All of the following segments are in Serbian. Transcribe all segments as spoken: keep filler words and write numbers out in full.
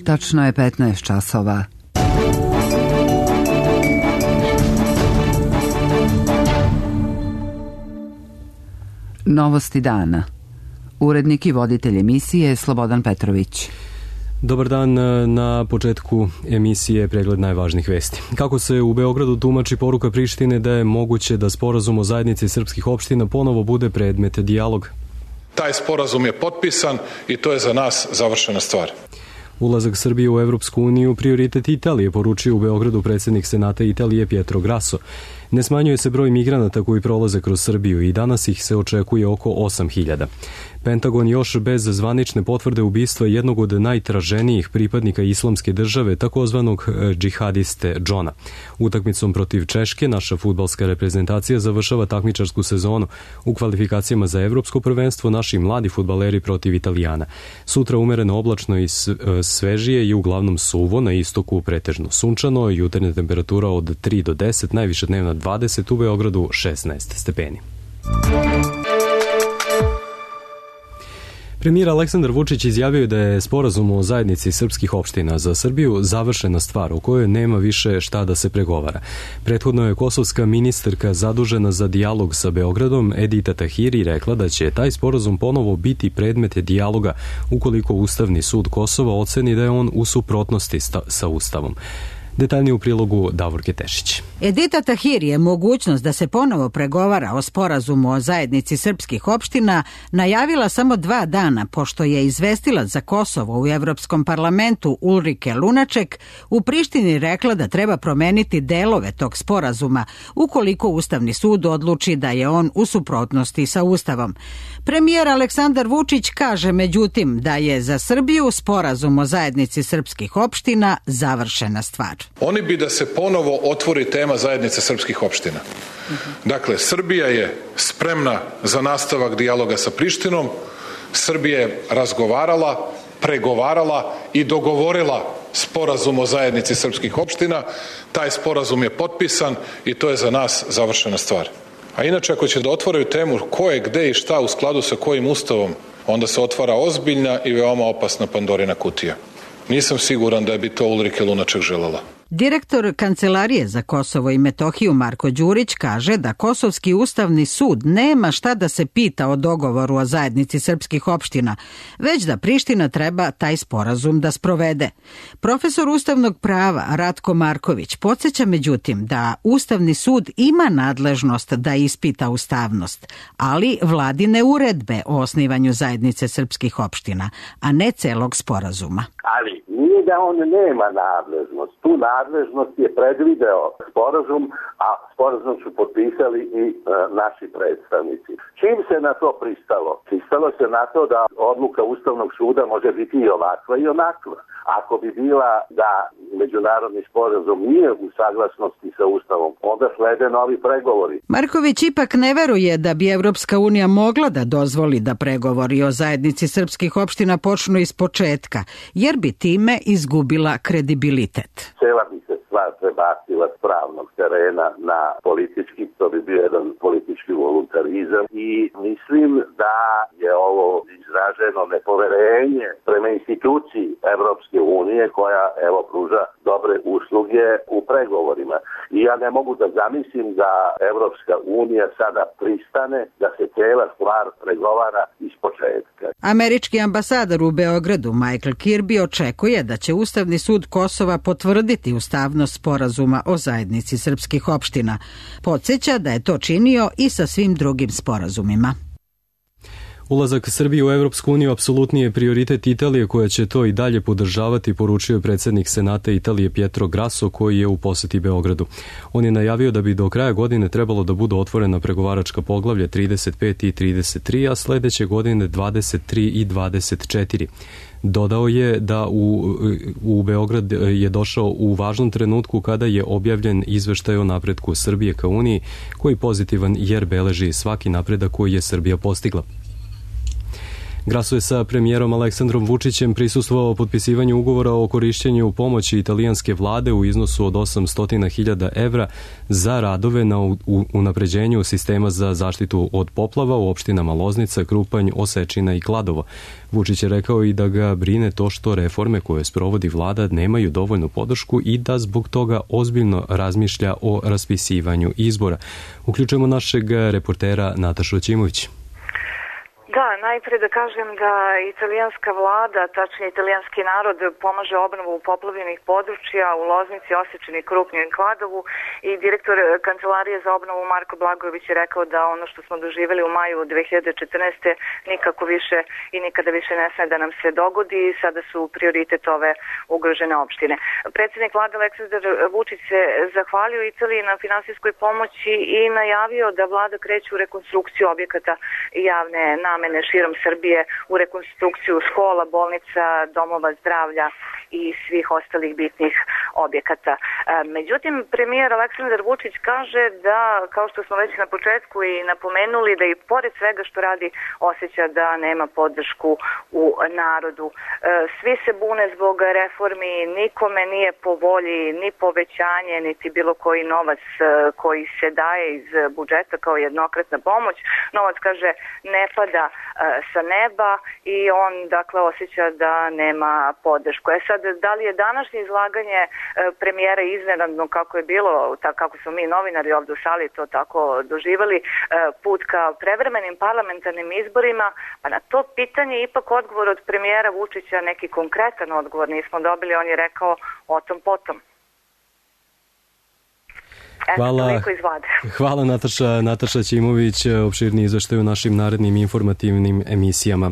Tačno je petnaest časova. Novosti dana. Urednik i voditelj emisije Slobodan Petrović. Dobar dan. Na početku emisije pregled najvažnijih vesti. Kako se u Beogradu tumači poruka Prištine da je moguće da sporazum o zajednici srpskih opština ponovo bude predmet dijaloga? Taj sporazum je potpisan i to je za nas završena stvar. Ulazak Srbije u Evropsku uniju prioritet Italije, poručio u Beogradu predsjednik Senata Italije Pietro Grasso. Ne smanjuje se broj migranata koji prolaze kroz Srbiju i danas ih se očekuje oko osam hiljada. Pentagon još bez zvanične potvrde ubistva jednog od najtraženijih pripadnika islamske države, takozvanog džihadiste Džona. Utakmicom protiv Češke naša fudbalska reprezentacija završava takmičarsku sezonu. U kvalifikacijama za evropsko prvenstvo naši mladi fudbaleri protiv Italijana. Sutra umereno oblačno i svežije i uglavnom suvo, na istoku pretežno sunčano, jutarnja temperatura od tri do deset, najviša dnevna dvadeset, u Beogradu šesnaest stepeni. Premijer Aleksandar Vučić izjavio je da je sporazum o zajednici srpskih opština za Srbiju završena stvar u kojoj nema više šta da se pregovara. Prethodno je kosovska ministarka zadužena za dijalog sa Beogradom Edita Tahiri rekla da će taj sporazum ponovo biti predmet dijaloga ukoliko Ustavni sud Kosova oceni da je on u suprotnosti sa Ustavom. Detaljnije u prilogu Davorke Tešić. Edita Tahiri je mogućnost da se ponovo pregovara o sporazumu o zajednici srpskih opština najavila samo dva dana pošto je izvestilac za Kosovo u Evropskom parlamentu Ulrike Lunaček u Prištini rekla da treba promeniti delove tog sporazuma ukoliko Ustavni sud odluči da je on u suprotnosti sa Ustavom. Premijer Aleksandar Vučić kaže međutim da je za Srbiju sporazum o zajednici srpskih opština završena stvar. Oni bi da se ponovo otvori tema zajednice srpskih opština. Dakle, Srbija je spremna za nastavak dijaloga sa Prištinom. Srbija je razgovarala, pregovarala i dogovorila sporazum o zajednici srpskih opština. Taj sporazum je potpisan i to je za nas završena stvar. A inače, ako će da otvoraju temu ko je, gde i šta u skladu sa kojim ustavom, onda se otvara ozbiljna i veoma opasna Pandorina kutija. Nisam siguran da bi to Ulrike Lunaček želela. Direktor Kancelarije za Kosovo i Metohiju Marko Đurić kaže da Kosovski ustavni sud nema šta da se pita o dogovoru o zajednici srpskih opština, već da Priština treba taj sporazum da sprovede. Profesor ustavnog prava Ratko Marković podsjeća međutim da Ustavni sud ima nadležnost da ispita ustavnost, ali vladine uredbe o osnivanju zajednice srpskih opština, a ne celog sporazuma. Ali nije da on nema nadležnost. Tu nadležnost je predvideo sporazum, a sporazum su potpisali i e, naši predstavnici. Čim se na to pristalo? Pristalo se na to da odluka Ustavnog suda može biti i ovakva i onakva. Ako bi bila da međunarodni sporazum nije u saglasnosti sa Ustavom, onda slede novi pregovori. Marković ipak ne veruje da bi Evropska unija mogla da dozvoli da pregovori o zajednici srpskih opština počnu iz početka, jer bi time izgubila kredibilitet. Cela bi se stvar prebacila s pravnog terena na politički, to bi bio jedan politički voluntarizam i mislim da je ovo izraženo nepoverenje prema instituciji Evropske unije koja evo pruža dobre usluge u pregovorima. I ja ne mogu da zamislim da Evropska unija sada pristane da se cela stvar pregovara iz početka. Američki ambasador u Beogradu Michael Kirby očekuje da će Ustavni sud Kosova potvrditi ustavnost sporazuma o zajednici srpskih opština. Podsjeća da je to činio i sa svim drugim sporazumima. Ulazak Srbije u Evropsku uniju apsolutni je prioritet Italije koja će to i dalje podržavati, poručio je predsjednik Senata Italije Pietro Grasso koji je u poseti Beogradu. On je najavio da bi do kraja godine trebalo da budu otvorena pregovaračka poglavlja trideset pet i trideset tri, a sledeće godine dvadeset tri i dvadeset četiri. Dodao je da u, u Beograd je došao u važnom trenutku kada je objavljen izveštaj o napretku Srbije ka Uniji, koji pozitivan jer beleži svaki napredak koji je Srbija postigla. Grasso je sa premijerom Aleksandrom Vučićem prisustvovao potpisivanju ugovora o korišćenju pomoći italijanske vlade u iznosu od osamsto hiljada evra za radove na unapređenju sistema za zaštitu od poplava u opštinama Loznica, Krupanj, Osečina i Kladovo. Vučić je rekao i da ga brine to što reforme koje sprovodi vlada nemaju dovoljnu podršku i da zbog toga ozbiljno razmišlja o raspisivanju izbora. Uključujemo našeg reportera Natašu Ćimović. Da, najpre da kažem da italijanska vlada, tačnije italijanski narod, pomaže obnovu poplavljenih područja u Loznici, Osečini, Krupnju i Kladovu i direktor Kancelarije za obnovu Marko Blagojević je rekao da ono što smo doživjeli u maju dve hiljade četrnaeste. nikako više i nikada više ne sme da nam se dogodi i sada su prioritet ove ugrožene opštine. Predsjednik vlade Aleksandar Vučić se zahvalio Italiji na finansijskoj pomoći i najavio da vlada kreće u rekonstrukciju objekata javne namene širom Srbije, u rekonstrukciju škola, bolnica, domova zdravlja i svih ostalih bitnih objekata. Međutim, premijer Aleksandar Vučić kaže da, kao što smo već na početku i napomenuli, da i pored svega što radi osjeća da nema podršku u narodu. Svi se bune zbog reformi, nikome nije po volji ni povećanje, niti bilo koji novac koji se daje iz budžeta kao jednokratna pomoć. Novac, kaže, ne pada sa neba i on, dakle, osjeća da nema podršku. E sad, da li je današnje izlaganje premijera iznenadno, kako je bilo, kako smo mi novinari ovdje u sali to tako doživali, put ka prevremenim parlamentarnim izborima, pa na to pitanje ipak odgovor od premijera Vučića, neki konkretan odgovor nismo dobili, on je rekao o tom potom. Hvala, hvala Nataša, Nataša Ćimović, opširni izveštaj u našim narednim informativnim emisijama.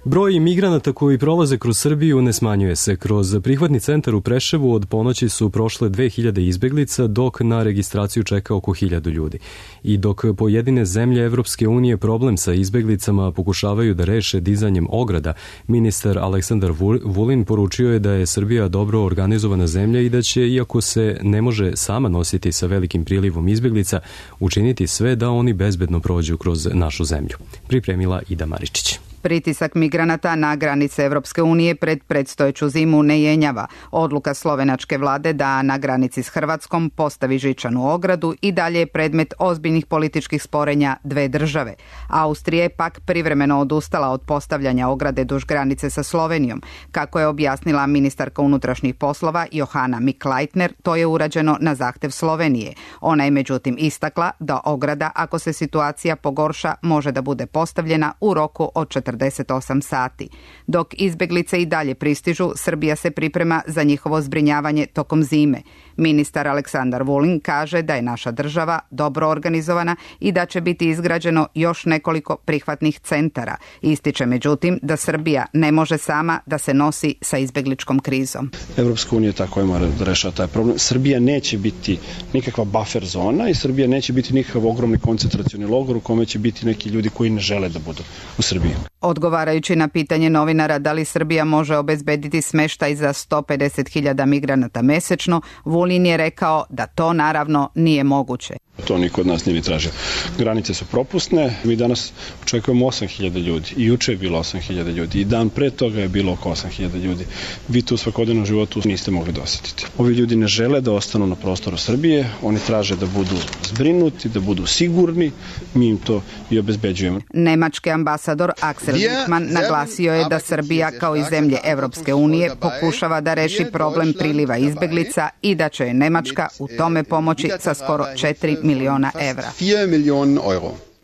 Broj migranata koji prolaze kroz Srbiju ne smanjuje se. Kroz prihvatni centar u Preševu od ponoći su prošle dve hiljade izbeglica, dok na registraciju čeka oko hiljadu ljudi. I dok pojedine zemlje Evropske unije problem sa izbeglicama pokušavaju da reše dizanjem ograda, ministar Aleksandar Vulin poručio je da je Srbija dobro organizovana zemlja i da će, iako se ne može sama nositi sa velikim prilivom izbeglica, učiniti sve da oni bezbedno prođu kroz našu zemlju. Pripremila Ida Maričić. Pritisak migranata na granice Evropske unije pred predstojeću zimu ne jenjava. Odluka slovenačke vlade da na granici s Hrvatskom postavi žičanu ogradu i dalje je predmet ozbiljnih političkih sporenja dve države. Austrija je pak privremeno odustala od postavljanja ograde duž granice sa Slovenijom. Kako je objasnila ministarka unutrašnjih poslova Johana Mikl-Leitner, to je urađeno na zahtev Slovenije. Ona je međutim istakla da ograda, ako se situacija pogorša, može da bude postavljena u roku od četrdeset osam sati. Dok izbeglice i dalje pristižu, Srbija se priprema za njihovo zbrinjavanje tokom zime. Ministar Aleksandar Vulin kaže da je naša država dobro organizovana i da će biti izgrađeno još nekoliko prihvatnih centara. Ističe međutim da Srbija ne može sama da se nosi sa izbegličkom krizom. Evropska unija tako mora da rešava taj problem. Srbija neće biti nikakva buffer zona i Srbija neće biti nikakav ogromni koncentracioni logor u kome će biti neki ljudi koji ne žele da budu u Srbiji. Odgovarajući na pitanje novinara da li Srbija može obezbediti smeštaj za sto pedeset hiljada migranata mesečno, Vulin je rekao da to naravno nije moguće. To niko od nas nije tražio. Granice su propusne, mi danas očekujemo osam hiljada ljudi i juče je bilo osam hiljada ljudi i dan pre toga je bilo oko osam hiljada ljudi. Vi to u svakodnevnom životu niste mogli da osjetiti. Ovi ljudi ne žele da ostanu na prostoru Srbije, oni traže da budu zbrinuti, da budu sigurni, mi im to i obezbeđujemo. Nemački ambasador Axel Wittmann naglasio je da Srbija kao i zemlje Evropske unije pokušava da reši problem priliva izbeglica i da će je Nemačka u tome pomoći sa skoro četiri miliona evra.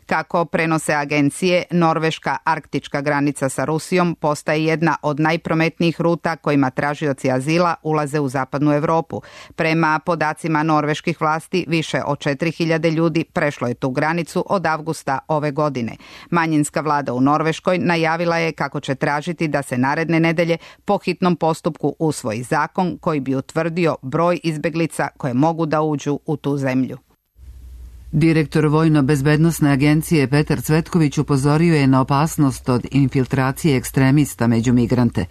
Kako prenose agencije, norveška arktička granica sa Rusijom postaje jedna od najprometnijih ruta kojima tražioci azila ulaze u zapadnu Evropu. Prema podacima norveških vlasti, više od četiri hiljade ljudi prešlo je tu granicu od avgusta ove godine. Manjinska vlada u Norveškoj najavila je kako će tražiti da se naredne nedelje po hitnom postupku usvoji zakon koji bi utvrdio broj izbeglica koje mogu da uđu u tu zemlju. Direktor Vojno-bezbednosne agencije Petar Cvetković upozorio je na opasnost od infiltracije ekstremista među migrante.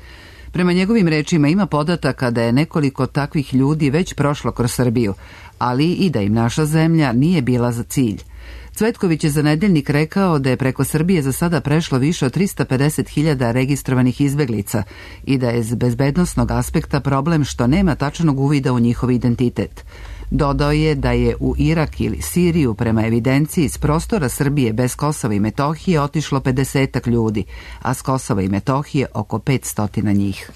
Prema njegovim rečima ima podataka da je nekoliko takvih ljudi već prošlo kroz Srbiju, ali i da im naša zemlja nije bila za cilj. Cvetković je za Nedeljnik rekao da je preko Srbije za sada prešlo više od trista pedeset hiljada registrovanih izbeglica i da je s bezbednosnog aspekta problem što nema tačnog uvida u njihov identitet. Dodao je da je u Irak ili Siriju prema evidenciji s prostora Srbije bez Kosova i Metohije otišlo pedesetak ljudi, a s Kosova i Metohije oko petsto njih.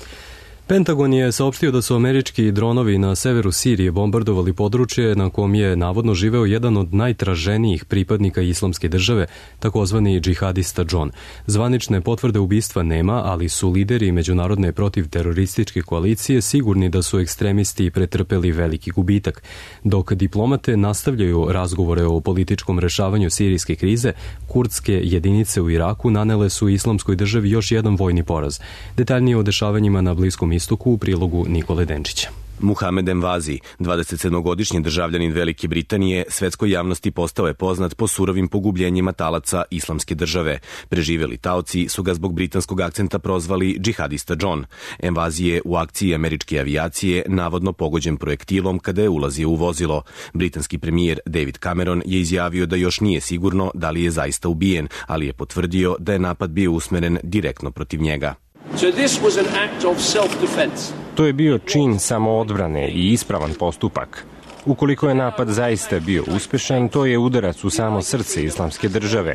Pentagon je saopštio da su američki dronovi na severu Sirije bombardovali područje na kom je navodno živeo jedan od najtraženijih pripadnika islamske države, takozvani džihadista John. Zvanične potvrde ubistva nema, ali su lideri međunarodne protivterorističke koalicije sigurni da su ekstremisti pretrpeli veliki gubitak. Dok diplomate nastavljaju razgovore o političkom rešavanju sirijske krize, kurdske jedinice u Iraku nanele su islamskoj državi još jedan vojni poraz. Detaljnije o dešavanjima na Bliskom istoku u prilogu Nikole Denčića. Muhamed Envazi, dvadesetsedmogodišnji državljanin Velike Britanije, svetskoj javnosti postao je poznat po surovim pogubljenjima talaca islamske države. Preživeli taoci su ga zbog britanskog akcenta prozvali džihadista John. Envazi je u akciji američke avijacije navodno pogođen projektilom kada je ulazio u vozilo. Britanski premijer David Cameron je izjavio da još nije sigurno da li je zaista ubijen, ali je potvrdio da je napad bio usmeren direktno protiv njega. So this was an act of self-defense. To je bio čin samoodbrane i ispravan postupak. Ukoliko je napad zaista bio uspešan, to je udarac u samo srce islamske države.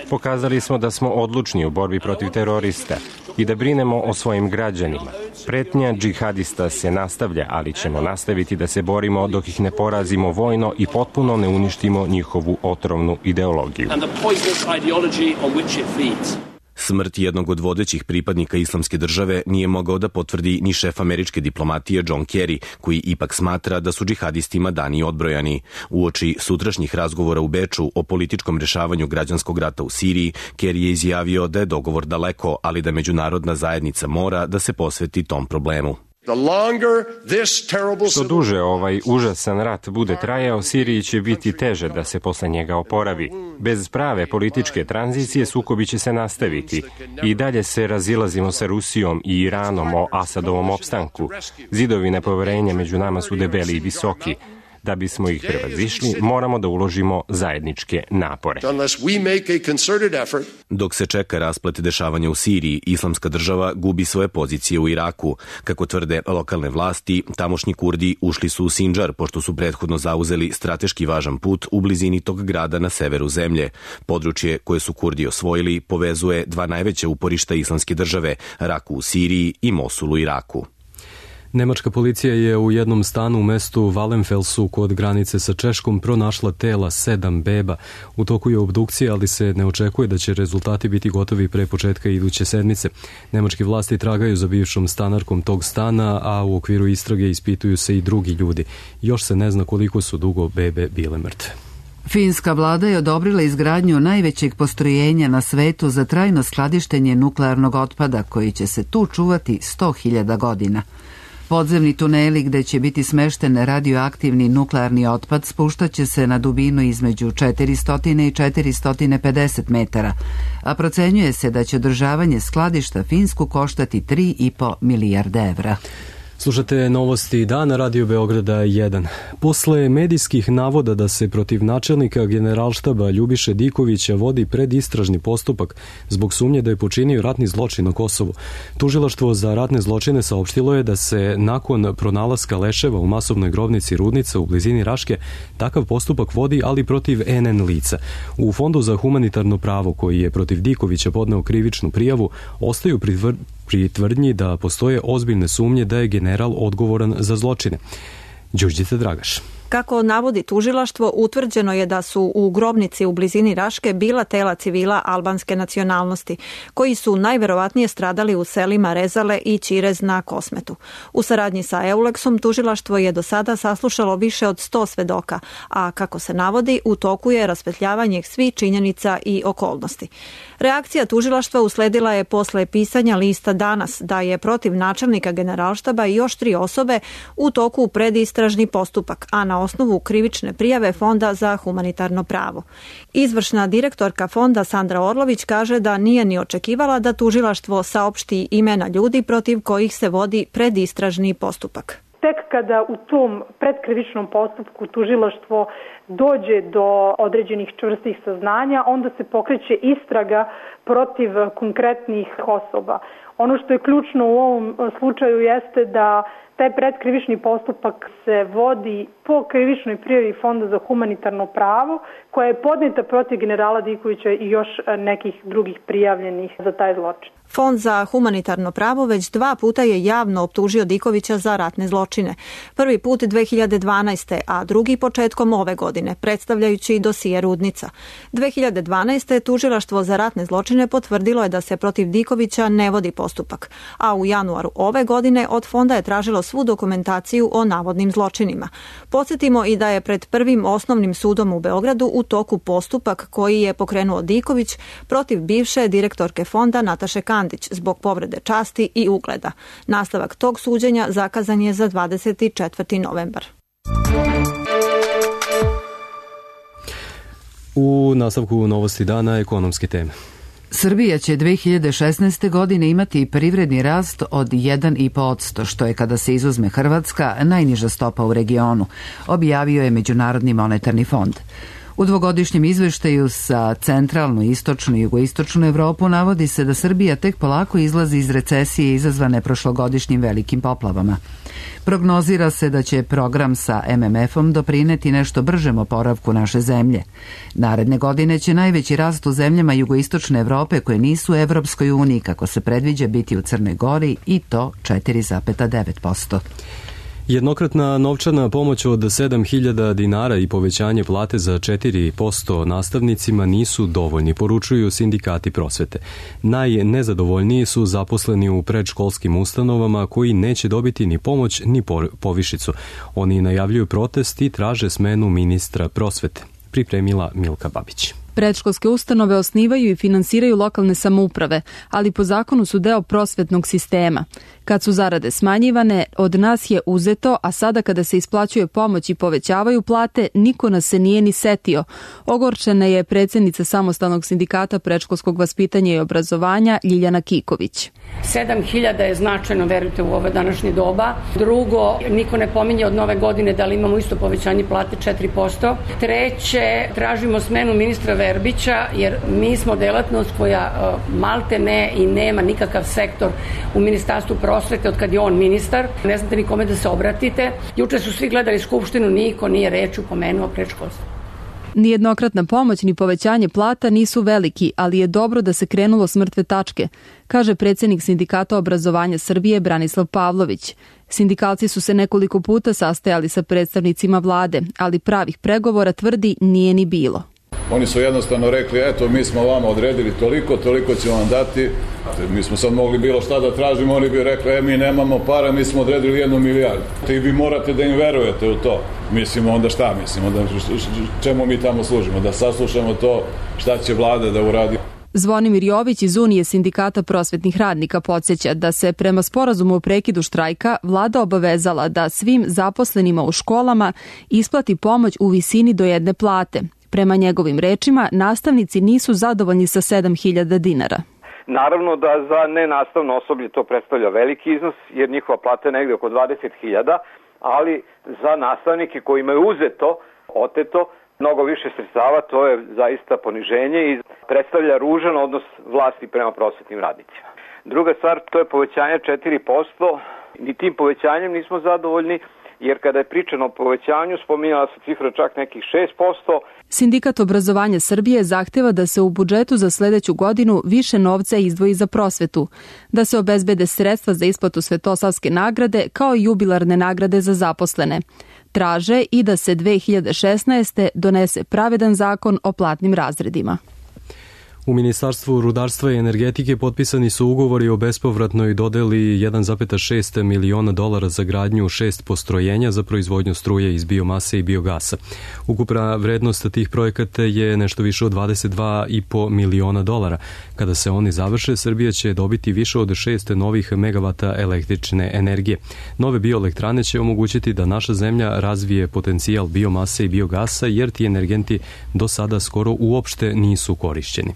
Pokazali smo da smo odlučni u borbi protiv terorista i da brinemo o svojim građanima. Pretnja džihadista se nastavlja, ali ćemo nastaviti da se borimo dok ih ne porazimo vojno i potpuno ne uništimo njihovu otrovnu ideologiju. Smrt jednog od vodećih pripadnika islamske države nije mogao da potvrdi ni šef američke diplomatije John Kerry, koji ipak smatra da su džihadistima dani odbrojani. Uoči sutrašnjih razgovora u Beču o političkom rešavanju građanskog rata u Siriji, Kerry je izjavio da je dogovor daleko, ali da međunarodna zajednica mora da se posveti tom problemu. Što duže ovaj užasan rat bude trajao, Siriji će biti teže da se posle njega oporavi. Bez prave političke tranzicije sukobi će se nastaviti. I dalje se razilazimo sa Rusijom i Iranom o Asadovom opstanku. Zidovi nepoverenja među nama su debeli i visoki. Da bismo ih prevazišli, moramo da uložimo zajedničke napore. Dok se čeka rasplet dešavanja u Siriji, islamska država gubi svoje pozicije u Iraku. Kako tvrde lokalne vlasti, tamošnji Kurdi ušli su u Sindžar, pošto su prethodno zauzeli strateški važan put u blizini tog grada na severu zemlje. Područje koje su Kurdi osvojili povezuje dva najveća uporišta islamske države, Raku u Siriji i Mosul u Iraku. Nemačka policija je u jednom stanu u mestu Wallenfelsu kod granice sa Češkom pronašla tela sedam beba. U toku je obdukcija, ali se ne očekuje da će rezultati biti gotovi pre početka iduće sedmice. Nemački vlasti tragaju za bivšom stanarkom tog stana, a u okviru istrage ispituju se i drugi ljudi. Još se ne zna koliko su dugo bebe bile mrtve. Finska vlada je odobrila izgradnju najvećeg postrojenja na svetu za trajno skladištenje nuklearnog otpada, koji će se tu čuvati sto hiljada godina. Podzemni tuneli gde će biti smešten radioaktivni nuklearni otpad spuštaće se na dubinu između četiristo i četiristo pedeset metara, a procenjuje se da će održavanje skladišta Finsku koštati tri i po milijarde evra. Slušate novosti dana Radio Beograda jedan. Posle medijskih navoda da se protiv načelnika Generalštaba Ljubiše Dikovića vodi predistražni postupak zbog sumnje da je počinio ratni zločin na Kosovu, Tužilaštvo za ratne zločine saopštilo je da se nakon pronalaska leševa u masovnoj grobnici Rudnica u blizini Raške takav postupak vodi, ali protiv en en lica. U Fondu za humanitarno pravo, koji je protiv Dikovića podneo krivičnu prijavu, ostaju pritvr pri tvrdnji da postoje ozbiljne sumnje da je general odgovoran za zločine. Đurđica Dragaš. Kako navodi tužilaštvo, utvrđeno je da su u grobnici u blizini Raške bila tela civila albanske nacionalnosti, koji su najverovatnije stradali u selima Rezale i Ćirez na Kosmetu. U saradnji sa Euleksom tužilaštvo je do sada saslušalo više od sto svedoka, a kako se navodi, u toku je raspetljavanje svih činjenica i okolnosti. Reakcija tužilaštva usledila je posle pisanja lista Danas da je protiv načelnika Generalštaba i još tri osobe u toku predistražni postupak, a na osnovu krivične prijave Fonda za humanitarno pravo. Izvršna direktorka Fonda Sandra Orlović kaže da nije ni očekivala da tužilaštvo saopšti imena ljudi protiv kojih se vodi predistražni postupak. tek kada u tom predkrivičnom postupku tužilaštvo dođe do određenih čvrstih saznanja, onda se pokreće istraga protiv konkretnih osoba. Ono što je ključno u ovom slučaju jeste da taj predkrivični postupak se vodi po krivičnoj prijavi Fonda za humanitarno pravo, koja je podneta protiv generala Dikovića i još nekih drugih prijavljenih za taj zločin. Fond za humanitarno pravo već dva puta je javno optužio Dikovića za ratne zločine. Prvi put dve hiljade dvanaeste. a drugi početkom ove godine, predstavljajući dosije Rudnica. dve hiljade dvanaeste. tužilaštvo za ratne zločine potvrdilo je da se protiv Dikovića ne vodi postupak, a u januaru ove godine od fonda je tražilo svu dokumentaciju o navodnim zločinima. Podsjetimo i da je pred prvim osnovnim sudom u Beogradu u toku postupak koji je pokrenuo Diković protiv bivše direktorke fonda Nataše Kandić zbog povrede časti i ugleda. Nastavak tog suđenja zakazan je za dvadeset četvrti novembar. U nastavku novosti dana ekonomske teme. Srbija će dve hiljade šesnaeste. godine imati privredni rast od jedan i po posto, što je kada se izuzme Hrvatska najniža stopa u regionu, objavio je Međunarodni monetarni fond. U dvogodišnjem izveštaju sa centralnu, istočnu i jugoistočnu Evropu navodi se da Srbija tek polako izlazi iz recesije izazvane prošlogodišnjim velikim poplavama. Prognozira se da će program sa em em efom doprineti nešto bržem oporavku naše zemlje. Naredne godine će najveći rast u zemljama jugoistočne Evrope koje nisu u Evropskoj uniji, kako se predviđa, biti u Crnoj Gori, i to četiri zarez devet posto. Jednokratna novčana pomoć od sedam hiljada dinara i povećanje plate za četiri posto nastavnicima nisu dovoljni, poručuju sindikati prosvete. Najnezadovoljniji su zaposleni u predškolskim ustanovama koji neće dobiti ni pomoć ni povišicu. Oni najavljuju protest i traže smenu ministra prosvete. Pripremila Milka Babić. Predškolske ustanove osnivaju i finansiraju lokalne samouprave, ali po zakonu su deo prosvetnog sistema. Kad su zarade smanjivane, od nas je uzeto, a sada kada se isplaćuje pomoć i povećavaju plate, niko nas se nije ni setio. Ogorčena je predsjednica Samostalnog sindikata predškolskog vaspitanja i obrazovanja Ljiljana Kiković. sedam hiljada je značajno, verujte, u ove današnje doba. Drugo, niko ne pominje od nove godine da li imamo isto povećanje plate četiri posto. Treće, tražimo smenu ministra Verbića, jer mi smo delatnost koja malte ne i nema nikakav sektor u Ministarstvu prosvete od kad je on ministar. Ne znate nikome da se obratite. Juče su svi gledali skupštinu, niko nije reč upomenuo predškolstvo. Nijednokratna pomoć ni povećanje plata nisu veliki, ali je dobro da se krenulo s mrtve tačke, kaže predsjednik Sindikata obrazovanja Srbije Branislav Pavlović. Sindikalci su se nekoliko puta sastajali sa predstavnicima vlade, ali pravih pregovora, tvrdi, nije ni bilo. Oni su jednostavno rekli, eto, mi smo vama odredili toliko, toliko ćemo vam dati. Mi smo sad mogli bilo šta da tražimo, oni bi rekli, e, mi nemamo para, mi smo odredili jednu milijardu. I vi morate da im verujete u to. Mislimo onda šta, mislimo da čemu mi tamo služimo, da saslušamo to šta će vlada da uradi. Zvonimir Jović iz Unije sindikata prosvetnih radnika podsjeća da se prema sporazumu o prekidu štrajka vlada obavezala da svim zaposlenima u školama isplati pomoć u visini do jedne plate. Prema njegovim rečima, nastavnici nisu zadovoljni sa sedam hiljada dinara. Naravno da za nenastavno osoblje to predstavlja veliki iznos, jer njihova plata je negde oko dvadeset hiljada, ali za nastavnike kojima je uzeto, oteto, mnogo više sredstava, to je zaista poniženje i predstavlja ružan odnos vlasti prema prosvetnim radnicima. Druga stvar, to je povećanje četiri posto, ni tim povećanjem nismo zadovoljni, jer kada je pričano o povećanju, spominjala se cifra čak nekih šest posto. Sindikat obrazovanja Srbije zahteva da se u budžetu za sledeću godinu više novca izdvoji za prosvetu, da se obezbede sredstva za isplatu Svetosavske nagrade kao i jubilarne nagrade za zaposlene. Traže i da se dve hiljade šesnaeste. donese pravedan zakon o platnim razredima. U Ministarstvu rudarstva i energetike potpisani su ugovori o bespovratnoj dodeli jedan zarez šest miliona dolara za gradnju šest postrojenja za proizvodnju struje iz biomase i biogasa. Ukupna vrednost tih projekata je nešto više od dvadeset dva i po miliona dolara. Kada se oni završe, Srbija će dobiti više od šest novih megavata električne energije. Nove bioelektrane će omogućiti da naša zemlja razvije potencijal biomase i biogasa, jer ti energenti do sada skoro uopšte nisu korišćeni.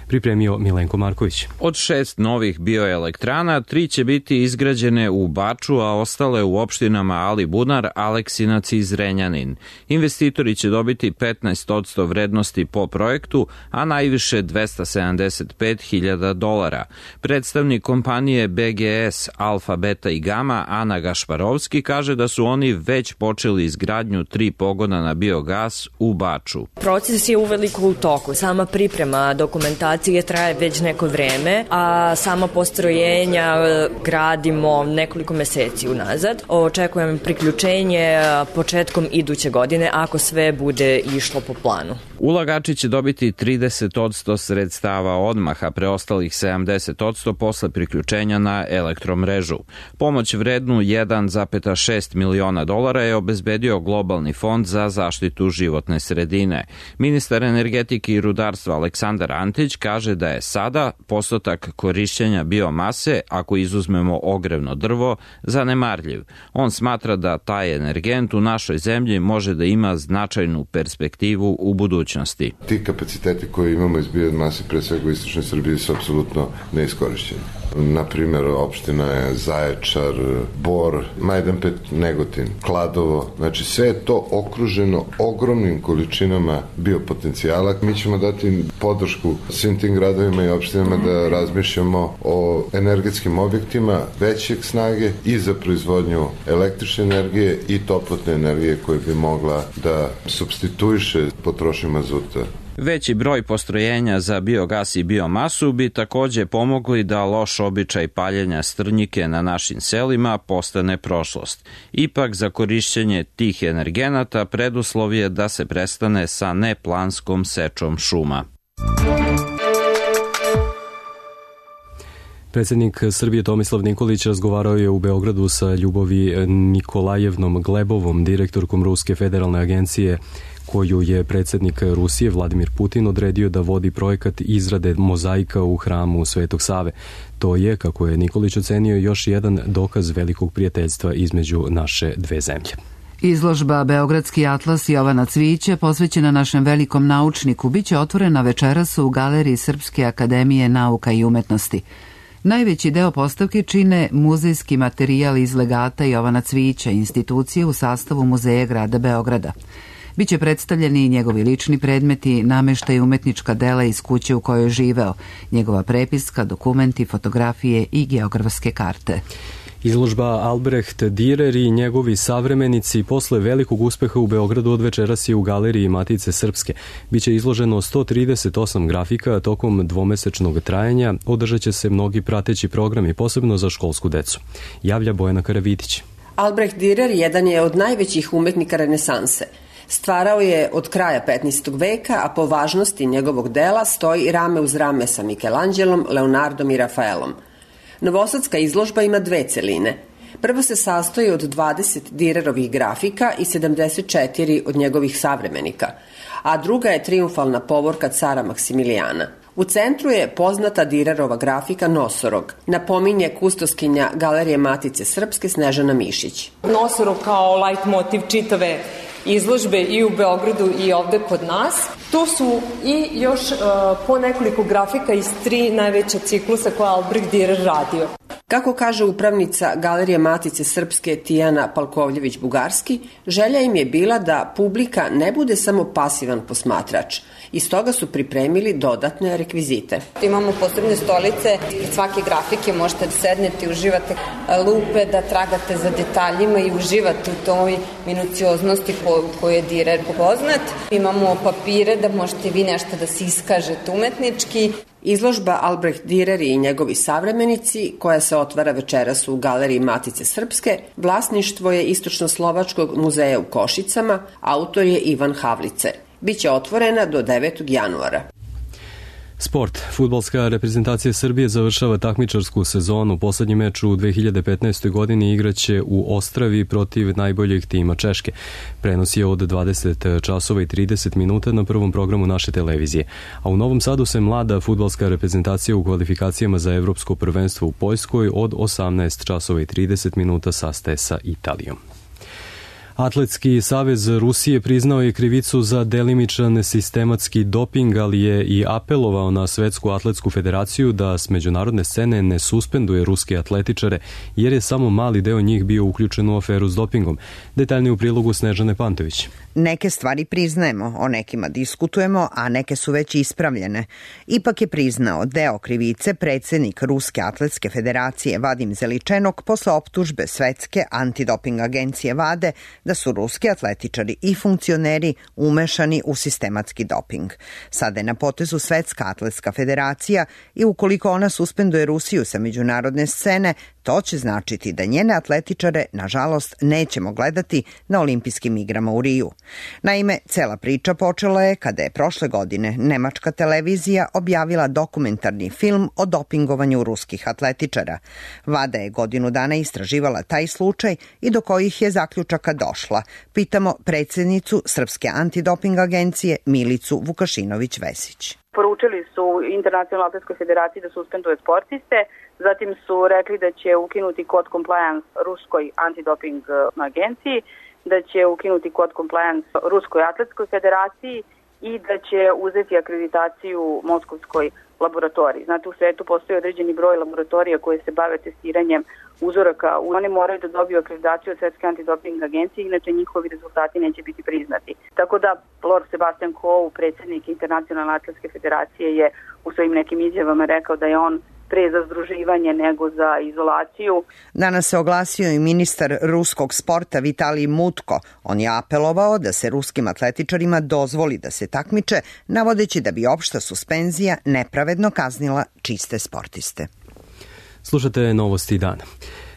pripremio Milenko Marković. Od šest novih bioelektrana, tri će biti izgrađene u Baču, a ostale u opštinama Alibunar, Aleksinac i Zrenjanin. Investitori će dobiti petnaest posto vrednosti po projektu, a najviše dvesta sedamdeset pet hiljada dolara. Predstavnik kompanije B G S, Alfa, Beta i Gama, Ana Gašparovski, kaže da su oni već počeli izgradnju tri pogona na biogas u Baču. Proces je uveliko u toku. Sama priprema dokumentacije traje već neko vreme, a sama postrojenja gradimo nekoliko meseci unazad. Očekujem priključenje početkom iduće godine ako sve bude išlo po planu. Ulagači će dobiti trideset posto sredstava odmah, a preostalih sedamdeset posto posle priključenja na elektromrežu. Pomoć vrednu jedan zarez šest miliona dolara je obezbedio Globalni fond za zaštitu životne sredine. Ministar energetike i rudarstva Aleksandar Antić kaže da je sada postotak korišćenja biomase, ako izuzmemo ogrevno drvo, zanemarljiv. On smatra da taj energent u našoj zemlji može da ima značajnu perspektivu u budućnosti. Ti kapaciteti koje imamo iz biomase, pre svega u istočnoj Srbiji, su apsolutno neiskorišćeni. Naprimer, opština je Zaječar, Bor, Majdanpek, Negotin, Kladovo. Znači, sve je to okruženo ogromnim količinama biopotencijala. Mi ćemo dati podršku svim tim gradovima i opštinama da razmišljamo o energetskim objektima većeg snage i za proizvodnju električne energije i toplotne energije koje bi mogla da supstituiše potrošnju mazuta. Veći broj postrojenja za biogas i biomasu bi takođe pomogli da loš običaj paljenja strnjike na našim selima postane prošlost. Ipak za korišćenje tih energenata preduslov je da se prestane sa neplanskom sečom šuma. Predsjednik Srbije Tomislav Nikolić razgovarao je u Beogradu sa Ljubovi Nikolajevnom Glebovom, direktorkom Ruske federalne agencije, koju je predsjednik Rusije Vladimir Putin odredio da vodi projekat izrade mozaika u hramu Svetog Save. To je, kako je Nikolić ocenio, još jedan dokaz velikog prijateljstva između naše dve zemlje. Izložba Beogradski atlas Jovana Cvijića, posvećena našem velikom naučniku, biće otvorena večeras u Galeriji Srpske akademije nauka i umetnosti. Najveći deo postavke čine muzejski materijal iz legata Jovana Cvijića, institucije u sastavu Muzeja grada Beograda. Biće predstavljeni i njegovi lični predmeti, nameštaj umetnička dela iz kuće u kojoj je živeo, njegova prepiska, dokumenti, fotografije i geografske karte. Izložba Albrecht Dürer i njegovi savremenici posle velikog uspeha u Beogradu od večeras je u Galeriji Matice Srpske. Biće izloženo sto trideset osam grafika tokom dvomesečnog trajanja, održat će se mnogi prateći programi, posebno za školsku decu. Javlja Bojana Karavitić. Albrecht Dürer jedan je od najvećih umetnika renesanse. Stvarao je od kraja petnaestog veka, a po važnosti njegovog dela stoji rame uz rame sa Mikelanđelom, Leonardom i Rafaelom. Novosadska izložba ima dve celine. Prva se sastoji od dvadeset Dürerovih grafika i sedamdeset četiri od njegovih savremenika, a druga je triumfalna povorka cara Maksimilijana. U centru je poznata Dürerova grafika Nosorog, napominje kustoskinja Galerije Matice Srpske Snežana Mišić. Nosorog kao leitmotiv čitave izložbe i u Beogradu i ovde kod nas. Tu su i još uh, po nekoliko grafika iz tri najveća ciklusa koje Albrecht Dürer radio. Kako kaže upravnica Galerije Matice Srpske Tijana Palkovljević-Bugarski, želja im je bila da publika ne bude samo pasivan posmatrač. I stoga su pripremili dodatne rekvizite. Imamo posebne stolice, ispred svake grafike možete da sednete i uživate lupe, da tragate za detaljima i uživate u toj minucioznosti koju je Dürer poznat. Imamo papire da možete vi nešto da se iskažete umetnički. Izložba Albrecht Dürer i njegovi savremenici, koja se otvara večeras u Galeriji Matice Srpske, vlasništvo je Istočno-Slovačkog muzeja u Košicama, autor je Ivan Havlice. Biće otvorena do devetog januara. Sport. Fudbalska reprezentacija Srbije završava takmičarsku sezonu. Poslednji meč u dve hiljade petnaestoj. godini igraće u Ostravi protiv najboljeg tima Češke. Prenos je od dvadeset časova i trideset minuta na prvom programu naše televizije. A u Novom Sadu se mlada fudbalska reprezentacija u kvalifikacijama za evropsko prvenstvo u Poljskoj od osamnaest časova i trideset minuta sastaje sa Italijom. Atletski savez Rusije priznao je krivicu za delimičan sistematski doping, ali je i apelovao na Svetsku atletsku federaciju da s međunarodne scene ne suspenduje ruske atletičare, jer je samo mali deo njih bio uključen u aferu s dopingom. Detaljnije u prilogu Snežane Pantović. Neke stvari priznajemo, o nekima diskutujemo, a neke su već ispravljene. Ipak je priznao deo krivice predsjednik Ruske atletske federacije Vadim Zeličenok posle optužbe Svetske antidoping agencije VADE da su ruski atletičari i funkcioneri umešani u sistematski doping. Sada je na potezu Svetska atletska federacija i ukoliko ona suspenduje Rusiju sa međunarodne scene, to će značiti da njene atletičare, nažalost, nećemo gledati na olimpijskim igrama u Riju. Naime, cela priča počela je kada je prošle godine nemačka televizija objavila dokumentarni film o dopingovanju ruskih atletičara. VADA je godinu dana istraživala taj slučaj i do kojih je zaključaka došla. Pitamo predsjednicu Srpske antidoping agencije Milicu Vukašinović-Vesić. Poručili su Internacionalnoj atletskoj federaciji da suspenduje sportiste, zatim su rekli da će ukinuti kod compliance Ruskoj antidoping agenciji, da će ukinuti kod compliance Ruskoj atletskoj federaciji i da će uzeti akreditaciju Moskovskoj laboratoriji. Znate, u svetu postoji određeni broj laboratorija koje se bave testiranjem uzoraka. Oni moraju da dobiju akreditaciju od Svetske antidoping agencije, inače njihovi rezultati neće biti priznati. Tako da Lord Sebastian Coe, predsjednik Internacionalne atletske federacije, je u svojim nekim izjavama rekao da je on pre za združivanje nego za izolaciju. Danas se oglasio i ministar ruskog sporta Vitalij Mutko. On je apelovao da se ruskim atletičarima dozvoli da se takmiče, navodeći da bi opšta suspenzija nepravedno kaznila čiste sportiste. Slušate novosti dana.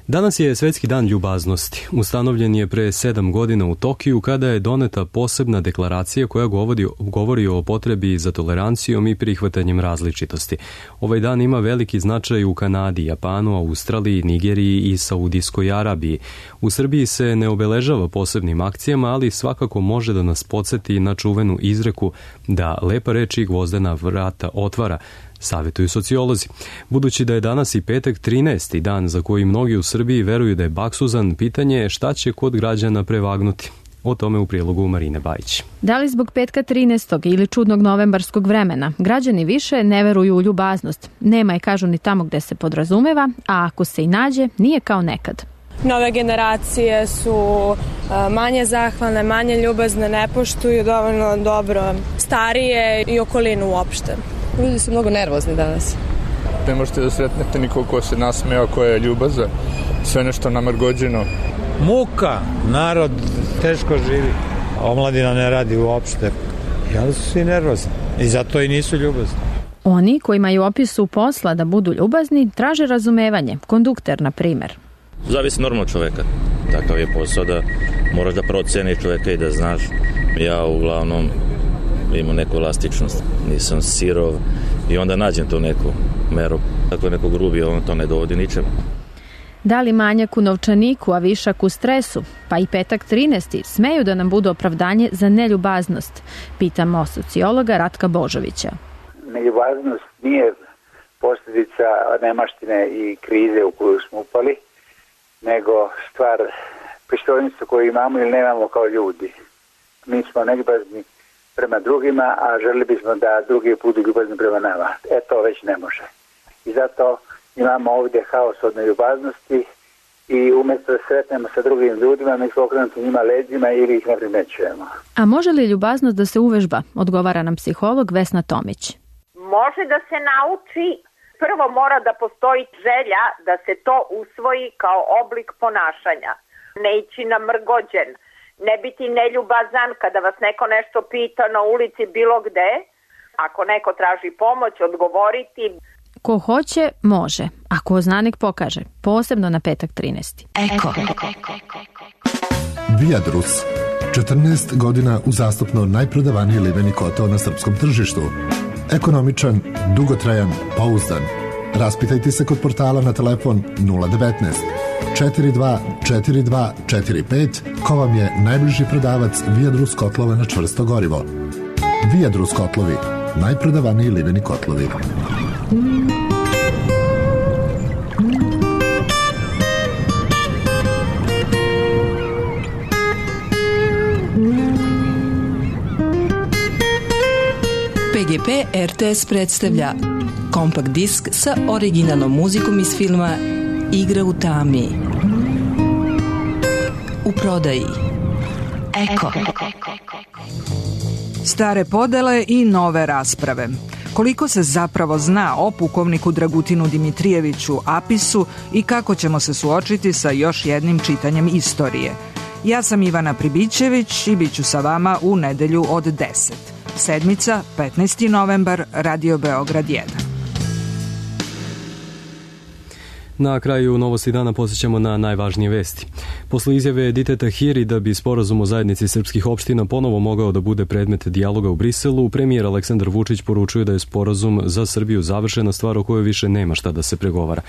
Danas je Svetski dan ljubaznosti. Ustanovljen je pre sedam godina u Tokiju kada je doneta posebna deklaracija koja govori, govori o potrebi za tolerancijom i prihvatanjem različitosti. Ovaj dan ima veliki značaj u Kanadi, Japanu, Australiji, Nigeriji i Saudijskoj Arabiji. U Srbiji se ne obeležava posebnim akcijama, ali svakako može da nas podsjeti na čuvenu izreku da lepa reč i gvozdena vrata otvara, savjetuju sociolozi. Budući da je danas i petak trinaesti dan za koji mnogi u Srbiji veruju da je baksuzan, pitanje je šta će kod građana prevagnuti. O tome u prilogu Marine Bajić. Da li zbog petka trinaestog ili čudnog novembarskog vremena građani više ne veruju u ljubaznost? Nema je, kažu, ni tamo gde se podrazumeva, a ako se i nađe, nije kao nekad. Nove generacije su manje zahvalne, manje ljubazne, ne poštuju dovoljno dobro starije i okolinu uopšte. Ljudi su mnogo nervozni danas. Ne možete da sretnete nikog ko se nasmeva, ko je ljubazan, sve nešto namrgođeno. Muka, narod teško živi, omladina ne radi uopšte, ali su svi nervozni i zato i nisu ljubazni. Oni koji imaju opisu posla da budu ljubazni traže razumevanje, kondukter na primer. Zavisi normalno čoveka, takav je posao da moraš da proceniš čoveka i da znaš. Ja uglavnom imam neku elastičnost, nisam sirov i onda nađem tu neku meru. Ako je neko grubi, on to ne dovodi ničemu. Da li manjak u novčaniku, a višak u stresu, pa i petak trinaesti smeju da nam budu opravdanje za neljubaznost? Pitamo sociologa Ratka Božovića. Neljubaznost nije posljedica nemaštine i krize u koju smo upali, nego stvar pristojnosti koju imamo ili nemamo kao ljudi. Mi smo neljubazni prema drugima, a želili bismo da drugi budu ljubazni prema nama. E to već ne može. I zato imamo ovdje haos od neljubaznosti i umjesto da sretnemo sa drugim ljudima, mi smo okrenuti njima leđima ili ih ne primećujemo. A može li ljubaznost da se uvežba? Odgovara nam psiholog Vesna Tomić. Može da se nauči. Prvo mora da postoji želja da se to usvoji kao oblik ponašanja. Ne ići namrgođen. Ne biti neljubazan kada vas neko nešto pita na ulici bilo gde. Ako neko traži pomoć, odgovoriti. Ko hoće, može. A ko zna, nek pokaže. Posebno na petak trinaesti. Eko. Viadrus. četrnaest godina uzastopno najprodavaniji liveni kotao na srpskom tržištu. Ekonomičan, dugotrajan, pouzdan. Raspitajte se kod portala na telefon nula devetnaest četiri dva četiri dva četiri pet ko vam je najbliži prodavac Viadrus kotlova na čvrsto gorivo. Viadrus kotlovi, najprodavaniji liveni kotlovi. G P R T S predstavlja kompakt disk sa originalnom muzikom iz filma Igra u tami. U prodaji Eko. Stare podele i nove rasprave. Koliko se zapravo zna o pukovniku Dragutinu Dimitrijeviću Apisu i kako ćemo se suočiti sa još jednim čitanjem istorije? Ja sam Ivana Pribićević i bit ću sa vama u nedelju od deset. Sedmica, petnaesti novembar, Radio Beograd jedan. Na kraju novosti dana posjećamo na najvažnije vesti. Posle izjave Edite Tahiri da bi sporazum o zajednici srpskih opština ponovo mogao da bude predmet dijaloga u Briselu, premijer Aleksandar Vučić poručuje da je sporazum za Srbiju završena stvar o kojoj više nema šta da se pregovara.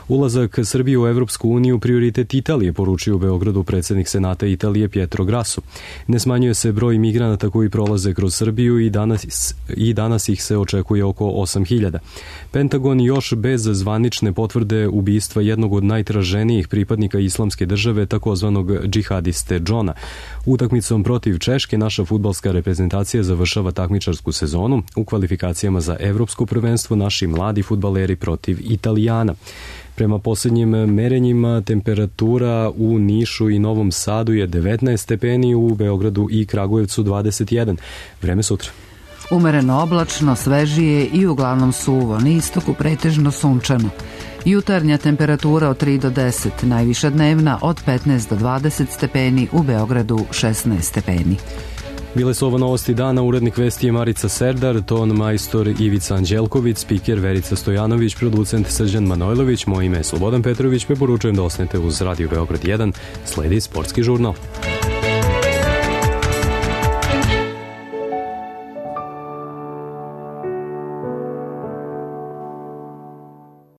Ulazak Srbije u Evropsku uniju prioritet Italije, poručio u Beogradu predsjednik Senata Italije Pietro Grasso. Ne smanjuje se broj migranata koji prolaze kroz Srbiju i danas, i danas ih se očekuje oko osam hiljada. Pentagon još bez zvanične potvrde ubistva jednog od najtraženijih pripadnika islamske države, takozvanog džihadiste Džona. Utakmicom protiv Češke naša fudbalska reprezentacija završava takmičarsku sezonu. U kvalifikacijama za evropsko prvenstvo naši mladi fudbaleri protiv Italijana. Prema posljednjim merenjima temperatura u Nišu i Novom Sadu je devetnaest stepeni, u Beogradu i Kragujevcu dvadeset jedan. Vreme sutra. Umereno oblačno, svežije i uglavnom suvo, na istoku pretežno sunčano. Jutarnja temperatura od tri do deset, najviša dnevna od petnaest do dvadeset stepeni, u Beogradu šesnaest stepeni. Bile su ovo novosti dana, urednik vesti je Marica Serdar, ton majstor Ivica Anđelković, spiker Verica Stojanović, producent Srđan Manojlović, moje ime je Slobodan Petrović, preporučujem da ostanete uz Radio Beograd jedan, sledi sportski žurnal.